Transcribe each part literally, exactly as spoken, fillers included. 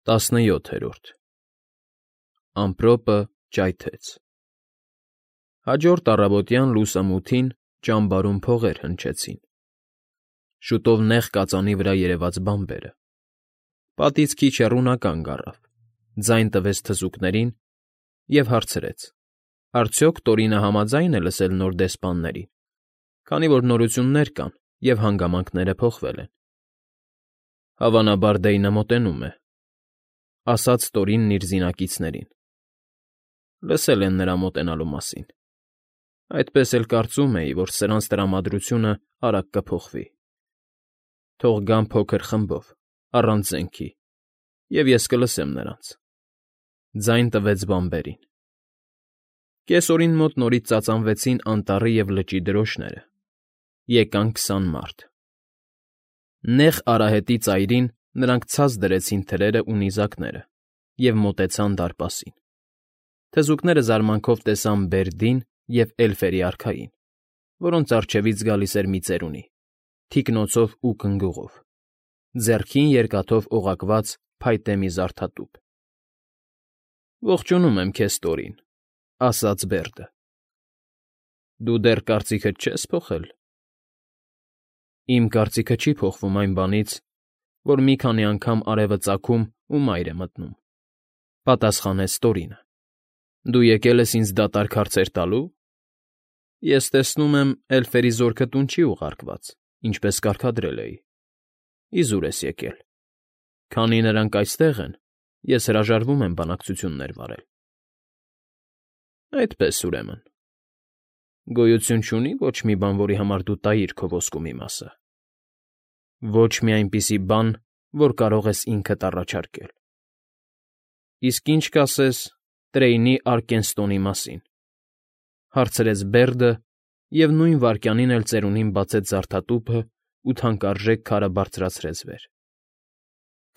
Տասնյոթերորդ Ամպրոպը ճայթեց։ Հաջորդ առավոտյան լուսամութին ճամբարում փողեր հնչեցին։ Շուտով նեղ կածանի վրա երևաց բանբերը։ Պատից քիչ հեռու նա կանգ առավ, ձայն տվեց թզուկներին և հարցրեց. արդյոք Տորինը համաձայն է լսել նոր դեսպաններին, քանի որ նորություններ կան և հանգամանքները փոխվել են։ Հավանաբար Դեյնը մոտենում է, ասաց Տորինն իր զինակիցներին. լսել են նրա մոտենալու մասին, այդպես էլ կարծում էի, որ սրանց տրամադրությունը արագ կփոխվի։ Թող գան փոքր խմբով, առանց զենքի, և ես կլսեմ նրանց։ Ձայն տվեց բանբերին։ Կեսօրին մոտ նորից ծածանվեցին անտառի և լճի դրոշները, եկան քսան մարդ։ Նեղ արահետի ծայրին նրանք ցած դրեցին թրերն ու նիզակները և մոտեցան դարպասին։ Թզուկները զարմանքով տեսան Բերդին և էլֆերի արքային, որոնց առջևից գալիս էր մի ծերունի, թիկնոցով ու կգնուղով, ձեռքին երկաթով օղակված փայտե մի զարդատուփ։ «Ողջունում եմ քեզ, Տորին,֊ ասաց Բերդը։֊ Դու դեռ կարծիքդ չե՞ս փոխել»։ «Իմ կարծիքը չի փոխվում այն բանից, որ մի քանի անգամ արևը ծագում ու մայր է մտնում,֊ պատասխանեց Տորինը։ Դու եկել ես ինձ դատարկ հարցեր տալո՞ւ։ Ես տեսնում եմ, էլֆերի զորքը տուն չի ուղարկված, ինչպես կարգադրել էի։ Իզուր ես եկել։ Քանի նրանք այստեղ են, ես հրաժարվում եմ բանակցություններ վարել։ Այդպես, ուրեմն, գոյություն չունի ոչ մի բան, որի համար դու տայիր քո ոսկու մի մասը։ Ոչ մի այնպիսի բան, որ կարող ես ինքդ առաջարկել։ Իսկ ի՞նչ կասես Տրեյնի Արկենստոնի մասին,֊ հարցրեց Բերդը և նույն վայրկյանին էլ ծերունին բացեց զարդատուփն ու թանկարժեք քարը բարձրացրեց վեր։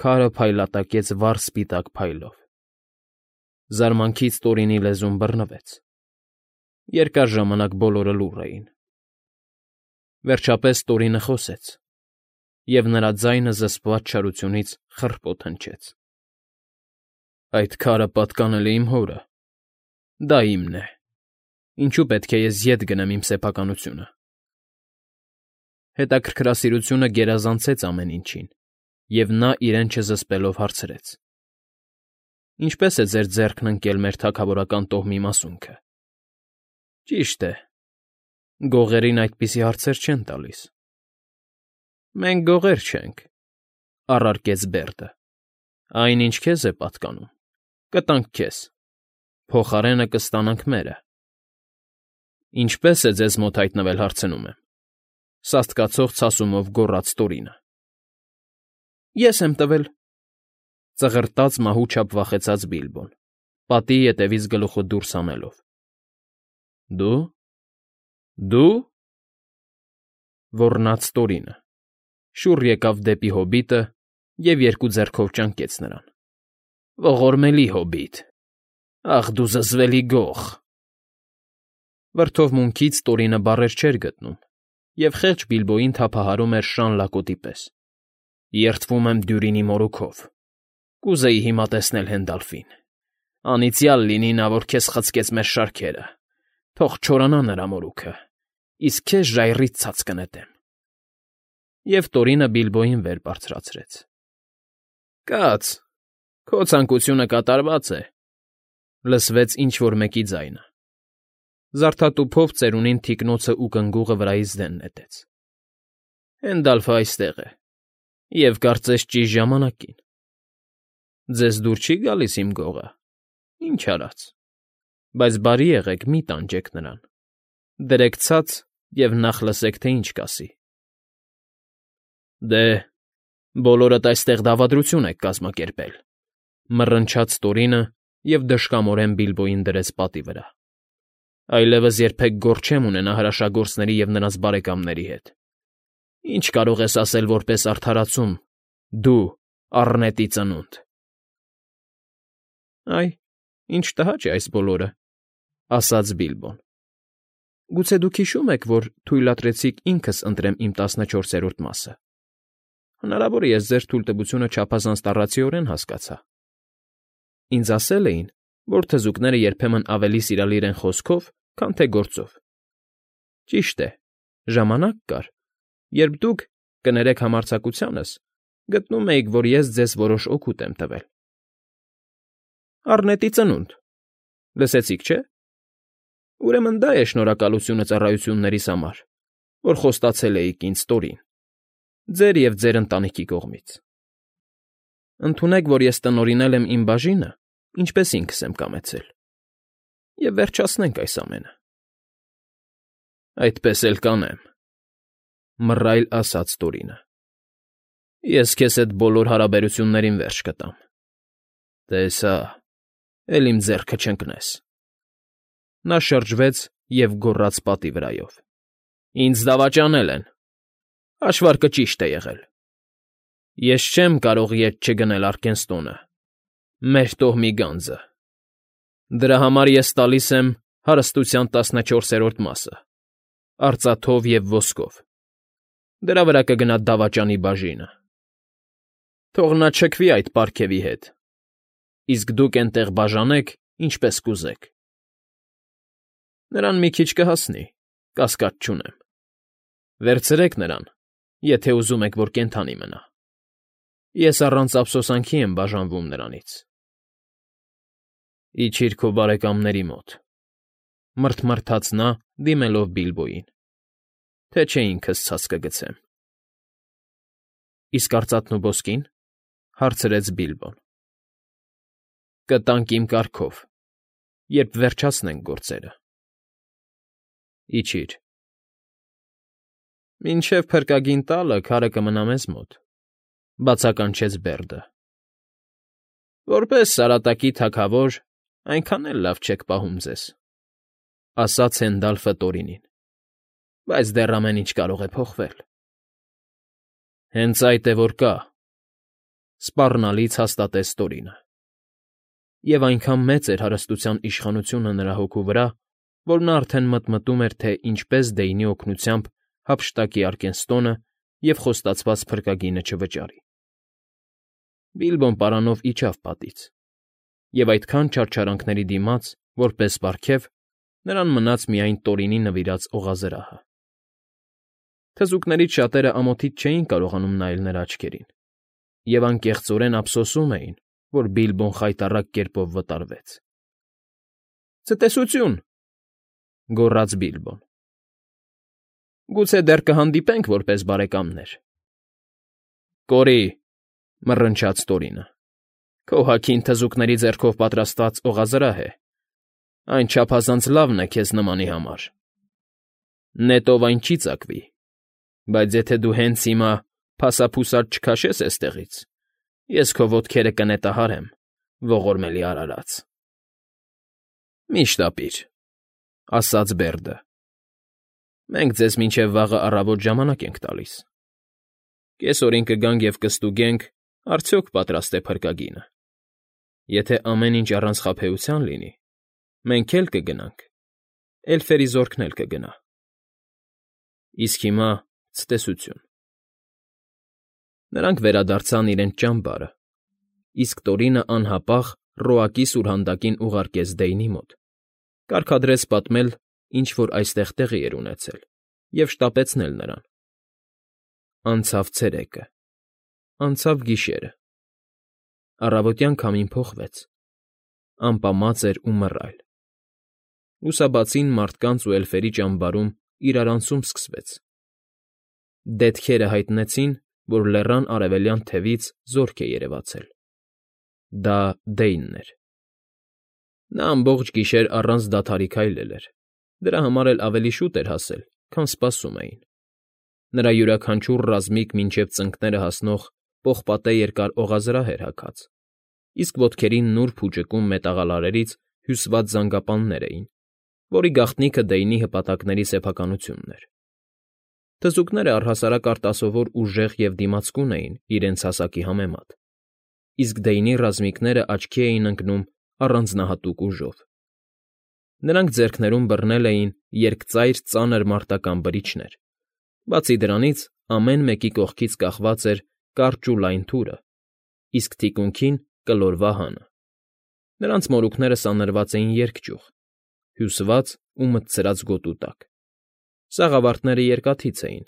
Քարը փայլատակեց վառ սպիտակ փայլով։ Զարմանքից Տորինի լեզուն բռնվեց։ Երկար ժամանակ բոլորը լուռ էին։ Վերջապես Տորինը խոսեց, և նրա ձայնը զսպված չարությունից խռպոտ հնչեց։ Այդ քարը պատկանել է իմ հորը։ Դա իմն է։ Ինչու պետք է ես ետ գնեմ իմ սեփականությունը։ Հետաքրքրասիրությունը գերազանցեց ամեն ինչին, և նա իրեն չզսպելով հարցրեց. Ինչպե՞ս է ձեր ձեռքն ընկել մեր թագավորական տոհմի մասունքը։ Ճիշտ է, գողերին այդպիսի հարցեր չեն տալիս։ Մենք գողեր չենք,֊ առարկեց Բերդը։ Այն, ինչ քեզ է պատկանում, կտանք քեզ, փոխարենը կստանանք մերը։ Ինչպե՞ս է ձեզ մոտ հայտնվել, հարցնում եմ,֊ սաստկացող ցասումով գոռաց Տորինը։ Ես եմ տվել,֊ ծղրտաց մահու չափ վախեցած Բիլբոն, պատի ետևից գլուխը դուրս հանելով։ Դու… Դու… ոռնաց Տորինը, շուռ եկավ դեպի հոբիտը և երկու ձեռքով ճանկեց նրան։ Ողորմելի հոբիտ… Ախ դու զզվելի գող… Վրդովմունքից Տորինը բառեր չէր գտնում և խեղճ Բիլբոյին թափահարում էր շան լակոտի պես։ Երդվում եմ Դյուրինի մորուքով… Կուզեի հիմա տեսնել Հենդալֆին… Անիծյալ լինի նա, որ քեզ խցկեց մեր շարքերը… Թող չորանա նրա մորուքը… Իսկ քեզ ժայռից ցած կնետեմ… Եվ Տորինը Բիլբոյին վեր բարձրացրեց։ Կաց, քո ցանկությունը կատարված է,֊ լսվեց ինչ֊որ մեկի ձայնը։ Զարդատուփով ծերունին թիկնոցն ու կգնուղը վրայից դեն նետեց։ Հենդալֆն այստեղ է, և կարծես ճիշտ ժամանակին։ Ձեզ դուր չի՞ գալիս իմ գողը… Ինչ արած… Բայց բարի եղեք, մի՛ տանջեք նրան… Դրեք ցած և նախ լսեք, թե ինչ կասի։ Դե, բոլորդ այստեղ դավադրություն եք կազմակերպել,֊ մռնչաց Տորինը և դժկամորեն Բիլբոյին դրեց պատի վրա։ Այլևս երբեք գործ չեմ ունենա հրաշագործների և նրանց բարեկամների հետ։ Ինչ կարող ես ասել որպես արդարացում, դու, առնետի ծնունդ… Այ, ինչ տհաճ է այս բոլորը,֊ ասաց Բիլբոն։ Գուցե դուք հիշո՞ւմ եք, որ թույլատրեցիք ինքս ընտրեմ իմ տասնչորսերորդ մասը։ Հնարավոր է, ես ձեր թույլտվությունը չափազանց տառացիորեն հասկացա։ Ինձ ասել էին, որ թզուկները երբեմն ավելի սիրալիր են խոսքով, քան թե գործով։ Ճիշտ է, ժամանակ կար, երբ դուք, կներեք համարձակությանս, գտնում էիք, որ ես ձեզ որոշ օգուտ եմ տվել։ Առնետի ծնունդ, լսեցիք, չէ՞։ Ուրեմն դա է շնորհակալությունը ծառայություններիս համար, որ խոստացել էիք ինձ Տորին, ձեր և ձեր ընտանիքի կողմից։ Ընդունեք, որ ես տնօրինել եմ իմ բաժինը, ինչպես ինքս եմ կամեցել, և վերջացնենք այս ամենը։ Այդպես էլ կանեմ,֊ մռայլ ասաց Տորինը։ Ես քեզ հետ բոլոր հարաբերություններին վերջ կտամ։ Տեսա, էլ իմ ձեռքը չընկնես։ Նա շրջվեց և գոռաց պատի վրայով. Ինձ դավաճանել են։ Հաշվարկը ճիշտ է եղել։ Ես չեմ կարող ետ չգնել Արկենստոնը, մեր տոհմի գանձը։ Դրա համար ես տալիս եմ հարստության տասնչորսերորդ մասը, արծաթով և ոսկով։ Դրա վրա կգնա դավաճանի բաժինը։ Թող նա չքվի այդ պարգևի հետ, իսկ դուք էնտեղ բաժանեք, ինչպես կուզեք։ Նրան մի քիչ կհասնի, կասկած չունեմ։ Վերցրեք նրան, եթե ուզում եք, որ կենդանի մնա։ Ես առանց ափսոսանքի եմ բաժանվում նրանից։ Իջիր քո բարեկամների մոտ,֊ մռթմռթաց նա, դիմելով Բիլբոյին, թե չէ ինքս ցած կգցեմ։ Իսկ արծաթն ու ոսկի՞ն,֊ հարցրեց Բիլբոն։ Կտանք իմ կարգով, երբ վերջացնենք գործերը։ Իջիր։ Մինչև փրկագին տալը քարը կմնա մեզ մոտ,֊ բացականչեց Բերդը։ Որպես Սարատակի թագավոր այնքան էլ լավ չեք պահում ձեզ,֊ ասաց Հենդալֆը Տորինին,֊ բայց դեռ ամեն ինչ կարող է փոխվել։ Հենց այդ է որ կա,֊ սպառնալից հաստատեց Տորինը։ Եվ այնքան մեծ էր հարստության իշխանությունը նրա հոգու վրա, որ նա արդեն մտմտում էր, թե ինչպես Դեյնի օգնությամբ հափշտակի Արկենստոնը և խոստացված փրկագինը չվճարի։ Բիլբոն պարանով իջավ պատից, և այդքան չարչարանքների դիմաց, որպես պարգև, նրան մնաց միայն Տորինի նվիրած օղազրահը։ Թզուկներից շատերը ամոթից չէին կարողանում նայել նրա աչքերին, և անկեղծորեն ափսոսում էին, որ Բիլբոն խայտառակ կերպով վտարվեց։ Ցտեսությո՛ւն,֊ գոռաց Բիլբոն։ Գուցե դեռ կհանդիպենք որպես բարեկամներ։ Կորի՛,֊ մռնչաց Տորինը,֊ քո հագին թզուկների ձեռքով պատրաստված օղազրահ է, այն չափազանց լավն է քեզ նմանի համար։ Նետով այն չի ծակվի, բայց եթե դու հենց հիմա փասափուսադ չքաշես էստեղից, ես քո ոտքերը կնետահարեմ, ողորմելի արարած։ Մի՛ շտապիր,֊ ասաց Բերդը։ Մենք ձեզ մինչև վաղը առավոտ ժամանակ ենք տալիս։ Կեսօրին կգանք և կստուգենք, արդյոք պատրաստ է փրկագինը։ Եթե ամեն ինչ առանց խաբեության լինի, մենք էլ կգնանք, էլֆերի զորքն էլ կգնա։ Իսկ հիմա ցտեսությո՛ւն։ Նրանք վերադարձան իրենց ճամբարը, իսկ Տորինը անհապաղ Ռոակի սուրհանդակին ուղարկեց Դեյնի մոտ, կարգադրեց պատմել, ինչ որ այստեղ տեղի էր ունեցել, և շտապեցնել նրան։ Անցավ ցերեկը, անցավ գիշերը, առավոտյան քամին փոխվեց, ամպամած էր ու մռայլ։ Լուսաբացին մարդկանց ու էլֆերի ճամբարում իրարանցում սկսվեց։ Դետքերը հայտնեցին, որ լեռան արևելյան թևից զորք է երևացել։ Դա Դեյնն էր։ Նա ամբողջ գիշեր առանց դադարի քայլել էր, դրա համար էլ ավելի շուտ էր հասել, քան սպասում էին։ Նրա յուրաքանչյուր ռազմիկ մինչև ծնկները հասնող պողպատե երկար օղազրահ էր հագած, իսկ ոտքերին նուրբ ու ճկուն մետաղալարերից հյուսված զանգապաններ էին, որի գաղտնիքը Դեյնի հպատակների սեփականությունն էր։ Թզուկները առհասարակ արտասովոր ուժեղ և դիմացկուն էին իրենց հասակի համեմատ, իսկ Դեյնի ռազմիկները աչքի էին ընկնում առանձնահատուկ ուժով։ Նրանք ձեռքներում բռնել էին երկծայր ծանր մարտական բրիչներ, բացի դրանից ամեն մեկի կողքից կախված էր կարճ ու լայն թուրը, իսկ թիկունքին՝ կլոր վահանը։ Նրանց մորուքները սանրված էին երկճյուղ, հյուսված ու մտցրած գոտու տակ. սաղավարտները երկաթից էին,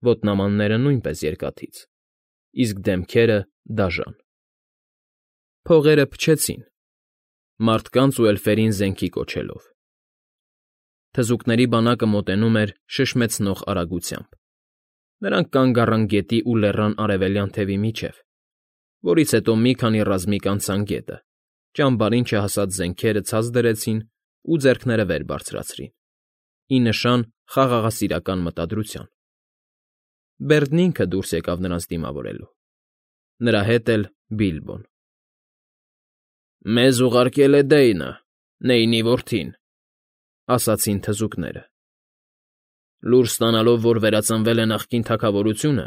ոտնամանները նույնպես երկաթից, իսկ դեմքերը՝ դաժան։ Փողերը փչեցին, մարդկանց ու էլֆերին զենքի կոչելով։ Թզուկների բանակը մոտենում էր շշմեցնող արագությամբ։ Նրանք կանգ առան գետի ու լեռան արևելյան թևի միջև, որից հետո մի քանի ռազմիկ անցան գետը, ճամբարին չհասած զենքերը ցած դրեցին ու ձեռքները վեր բարձրացրին, ի նշան խաղաղասիրական մտադրության։ Բերդն ինքը դուրս եկավ նրանց դիմավորելու, նրա հետ էլ Բիլբոն։ ֊ Մեզ ուղարկել է Դեյնը, Նեյնի որդին, ֊ ասացին թզուկները։ Լուր ստանալով, որ վերածնվել է նախկին թագավորությունը,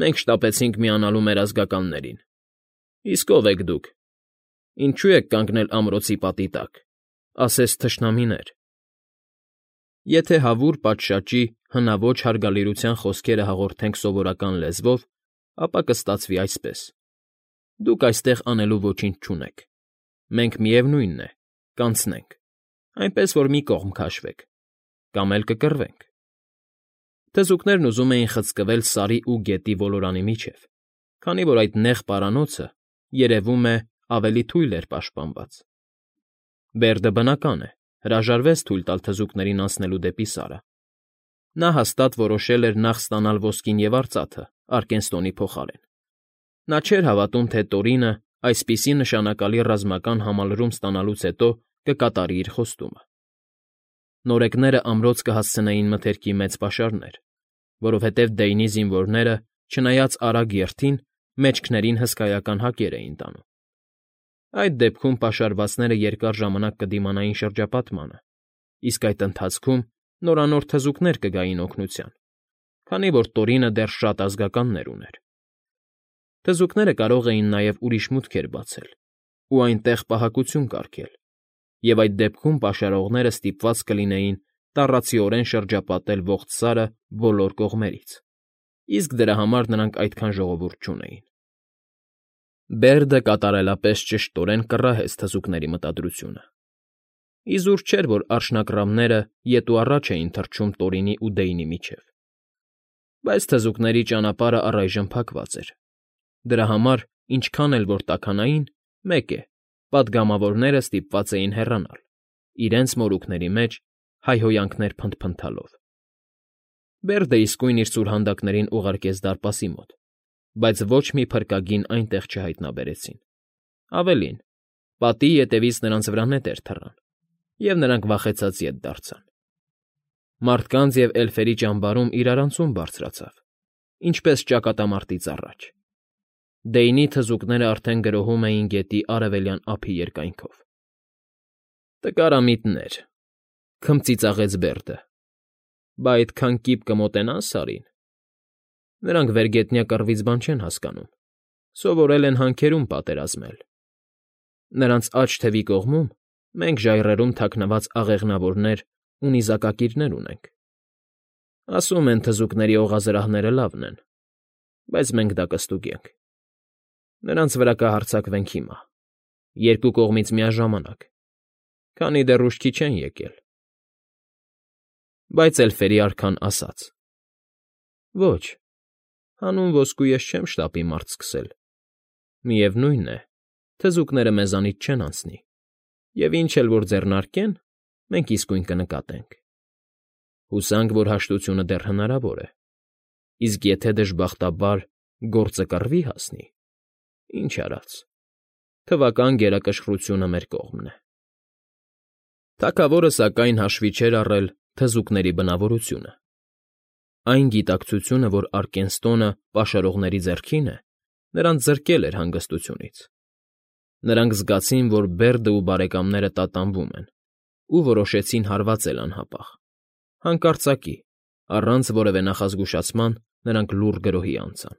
մենք շտապեցինք միանալու մեր ազգականներին։ Իսկ ո՞վ եք դուք, ինչո՞ւ եք կանգնել ամրոցի պատի տակ, ասես թշնամիներ։ Եթե հավուր պատշաճի հնաոճ հարգալիրության խոսքերը հաղորդենք սովորական լեզվով, ապա կստացվի այսպես. դուք այստեղ անելու ոչինչ չունեք, մենք միևնույնն է, կանցնենք, այնպես որ մի կողմ քաշվեք, կամ էլ կկռվենք։ Թզուկներն ուզում էին խցկվել Սարի ու գետի ոլորանի միջև, քանի որ այդ նեղ պարանոցը, երևում է, ավելի թույլ էր պաշտպանված։ Բերդը, բնական է, հրաժարվեց թույլ տալ թզուկներին անցնելու դեպի Սարը։ Նա հաստատ որոշել էր նախ ստանալ ոսկին և արծաթը Արկենստոնի փոխարեն։ Նա չէր հավատում, թե Տորինը այսպիսի նշանակալի ռազմական համալրում ստանալուց հետո կկատարի իր խոստումը։ Նորեկները ամրոց կհասցնեին մթերքի մեծ պաշարներ, որովհետև Դեյնի զինվորները, չնայած արագ երթին, մեջքներին հսկայական հակեր էին տանում։ Այդ դեպքում պաշարվածները երկար ժամանակ կդիմանային շրջապատմանը, իսկ այդ ընթացքում նորանոր թզուկներ կգային օգնության, քանի որ Տորինը դեռ շատ ազգականներ ուներ։ Թզուկները կարող էին նաև ուրիշ մուտքեր բացել ու այնտեղ պահակություն կարգել, և այդ դեպքում պաշարողները ստիպված կլինեին տառացիորեն շրջապատել ողջ Սարը բոլոր կողմերից, իսկ դրա համար նրանք այդքան ժողովուրդ չունեին։ Բերդը կատարելապես ճշտորեն կռահեց թզուկների մտադրությունը։ Իզուր չէր, որ արջնագռավները ետ ու առաջ էին թռչում Տորինի ու Դեյնի միջև։ Բայց թզուկների ճանապարհը առայժմ փակված էր։ Դրա համար, ինչքան էլ որ տաքանային, մեկ է, պատգամավորները ստիպված էին հեռանալ, իրենց մորուքների մեջ հայհոյանքներ փնթփնթալով։ Բերդը իսկույն իր սուրհանդակներին ուղարկեց դարպասի մոտ, բայց ոչ մի փրկագին այնտեղ չհայտնաբերեցին։ Ավելին, պատի ետևից նրանց վրա նետեր թռան, և նրանք վախեցած ետ դարձան։ Մարդկանց և էլֆերի ճամբարում իրարանցում բարձրացավ, ինչպես ճակատամարտից առաջ։ Դեյնի թզուկները արդեն գրոհում էին գետի արևելյան ափի երկայնքով։ Տկարամիտներ, ֊ քմծիծաղեց Բերդը, ֊ բա այդքան կիպ կմոտենան Սարին։ Նրանք վերգետնյա կռվից բան չեն հասկանում, սովորել են հանքերում պատերազմել։ Նրանց աջ թևի կողմում մենք ժայռերում թաքնված աղեղնավորներ ու նիզակակիրներ ունենք։ Ասում են, թզուկների օղազրահները լավն են, բայց մենք դա կստուգենք։ Նրանց վրա կհարձակվենք հիմա, երկու կողմից միաժամանակ, քանի դեռ ուշքի չեն եկել։ Բայց էլֆերի արքան ասաց. Ոչ, հանուն ոսկու ես չեմ շտապի մարտ սկսել։ Միևնույն է, թզուկները մեզանից չեն անցնի, և ինչ էլ որ ձեռնարկեն, մենք իսկույն կնկատենք։ Հուսանք, որ հաշտությունը դեռ հնարավոր է, իսկ եթե դժբախտաբար գործը կռվի հասնի, ինչ արած, թվական գերակշռությունը մեր կողմն է։ Թագավորը, սակայն, հաշվի չէր առել թզուկների բնավորությունը։ Այն գիտակցությունը, որ Արկենստոնը պաշարողների ձեռքին է, նրանց զրկել էր հանգստությունից։ Նրանք զգացին, որ Բերդը ու բարեկամները տատանվում են, ու որոշեցին հարվածել անհապաղ։ Հանկարծակի, առանց որևէ նախազգուշացման նրանք լուռ գրոհի անցան։